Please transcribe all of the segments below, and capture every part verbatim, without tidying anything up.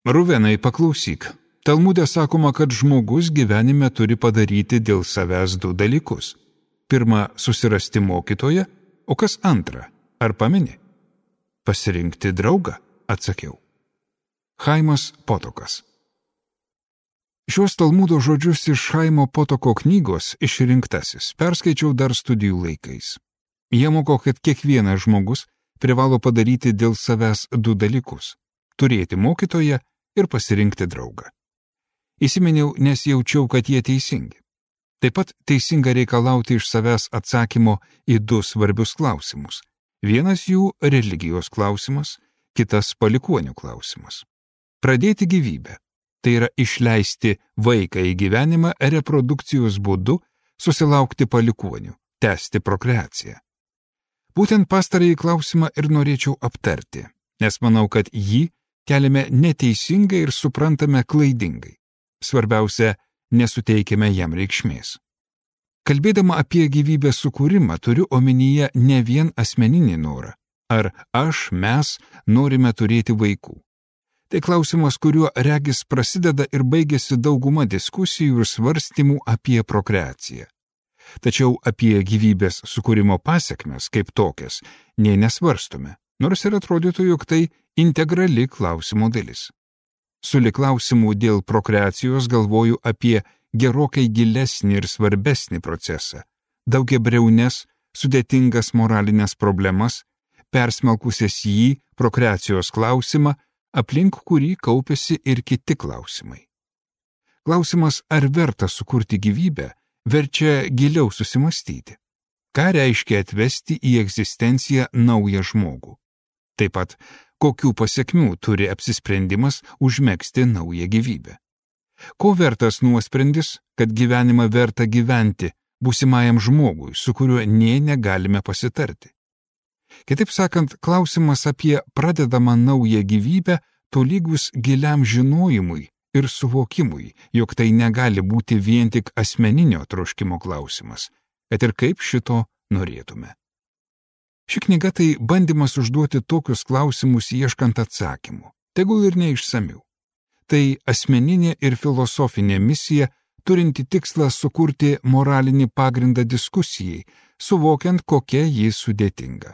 Ruvenai, paklausyk. Talmude sakoma, kad žmogus gyvenime turi padaryti dėl savęs du dalykus. Pirma, susirasti mokytoją, o kas antra, ar pameni? Pasirinkti draugą, atsakiau. Chaimas Potokas. Šios Talmudo žodžius iš Chaimo Potoko knygos Išrinktasis perskaičiau dar studijų laikais. Jie moko, kad kiekvienas žmogus privalo padaryti dėl savęs du dalykus – turėti mokytoją ir pasirinkti draugą. Įsiminiau, nes jaučiau, kad jie teisingi. Taip pat teisinga reikalauti iš savęs atsakymo į du svarbius klausimus. Vienas jų – religijos klausimas, kitas – palikuonių klausimas. Pradėti gyvybę – tai yra išleisti vaiką į gyvenimą reprodukcijos būdu, susilaukti palikuonių, tęsti prokreaciją. Būtent pastarąjį klausimą ir norėčiau aptarti, nes manau, kad jį keliame neteisingai ir suprantame klaidingai. Svarbiausia, nesuteikime jam reikšmės. Kalbėdama apie gyvybės sukūrimą, turiu omenyje ne vien asmeninį norą. Ar aš, mes norime turėti vaikų? Tai klausimas, kuriuo regis prasideda ir baigėsi dauguma diskusijų ir svarstymų apie prokreaciją. Tačiau apie gyvybės sukūrimo pasekmes kaip tokias nė nesvarstome, nors ir atrodytų, jog tai integrali klausimo dalis. Sulig klausimų dėl prokreacijos galvoju apie gerokai gilesnį ir svarbesnį procesą, daugiabriaunes, sudėtingas moralinės problemas, persmelkusias jį prokreacijos klausimą, aplink kurį kaupėsi ir kiti klausimai. Klausimas, ar verta sukurti gyvybę, verčia giliau susimastyti. Ką reiškia atvesti į egzistenciją naują žmogų? Taip pat, kokių pasekmių turi apsisprendimas užmegzti naują gyvybę? Ko vertas nuosprendis, kad gyvenimą verta gyventi būsimajam žmogui, su kuriuo nė negalime pasitarti? Kitaip sakant, klausimas apie pradedamą naują gyvybę tolygus giliam žinojimui ir suvokimui, jog tai negali būti vien tik asmeninio troškimo klausimas, kad ir kaip šito norėtume. Ši knyga tai bandymas užduoti tokius klausimus ieškant atsakymų, tegul ir neišsamių. Tai asmeninė ir filosofinė misija, turinti tikslą sukurti moralinį pagrindą diskusijai, suvokiant, kokia ji sudėtinga.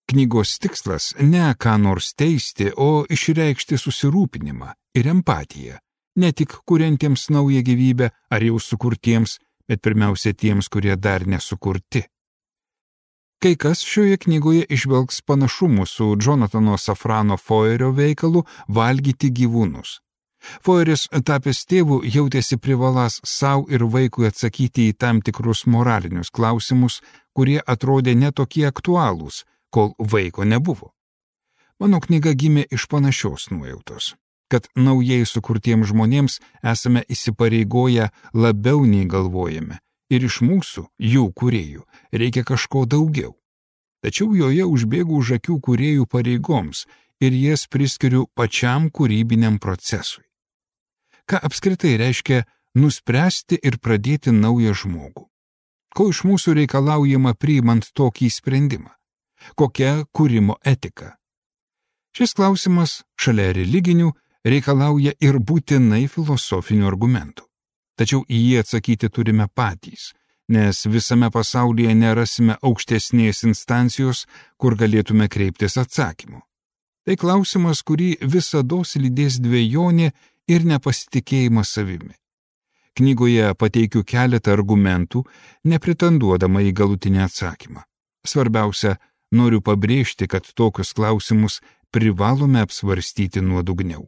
Knygos tikslas ne ką nors teisti, o išreikšti susirūpinimą ir empatiją, ne tik kuriantiems naują gyvybę ar jau sukurtiems, bet pirmiausia tiems, kurie dar nesukurti. Kai kas šioje knygoje išvelgs panašumų su Jonathano Safrano Foerio veikalu Valgyti gyvūnus. Foeris, tapęs tėvu, jautėsi privaląs savo ir vaikui atsakyti į tam tikrus moralinius klausimus, kurie atrodė netokie aktualūs, kol vaiko nebuvo. Mano knyga gimė iš panašios nuojautos, kad naujai sukurtiems žmonėms esame įsipareigoję labiau nei galvojame, ir iš mūsų, jų kūrėjų, reikia kažko daugiau. Tačiau joje užbėgu už akių kūrėjų pareigoms ir jas priskiriu pačiam kūrybiniam procesui. Ką apskritai reiškia nuspręsti ir pradėti naują žmogų? Ko iš mūsų reikalaujama priimant tokį sprendimą? Kokia kūrimo etika? Šis klausimas, šalia religinių, reikalauja ir būtinai filosofinių argumentų. Tačiau į jį atsakyti turime patys, nes visame pasaulyje nerasime aukštesnės instancijos, kur galėtume kreiptis atsakymu. Tai klausimas, kurį visados lydės dvejonė ir nepasitikėjimas savimi. Knygoje pateikiu keletą argumentų, nepretenduodama į galutinį atsakymą. Svarbiausia, noriu pabrėžti, kad tokius klausimus privalome apsvarstyti nuodugniau.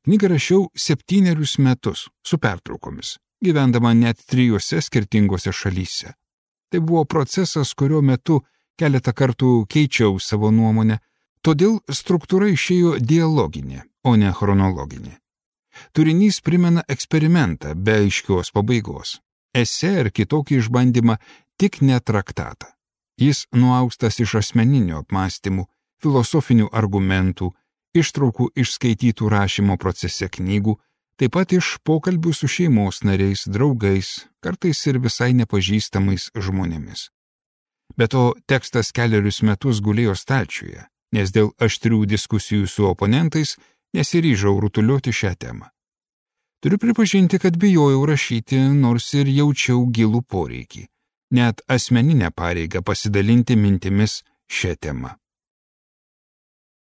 Knygą rašiau septynerius metus su pertraukomis, gyvendama net trijose skirtingose šalyse. Tai buvo procesas, kurio metu keletą kartų keičiau savo nuomonę, todėl struktūra išėjo dialoginė, o ne chronologinė. Turinys primena eksperimentą be aiškios pabaigos, esė ir kitokį išbandymą, tik ne traktatą. Jis nuaustas iš asmeninių apmąstymų, filosofinių argumentų, ištraukų iš skaitytų rašymo procese knygų, taip pat iš pokalbių su šeimos nariais, draugais, kartais ir visai nepažįstamais žmonėmis. Be to, tekstas kelerius metus gulėjo stalčiuje, nes dėl aštrių diskusijų su oponentais nesiryžau rutuliuoti šią temą. Turiu pripažinti, kad bijojau rašyti, nors ir jaučiau gilų poreikį, net asmeninę pareigą pasidalinti mintimis šią temą.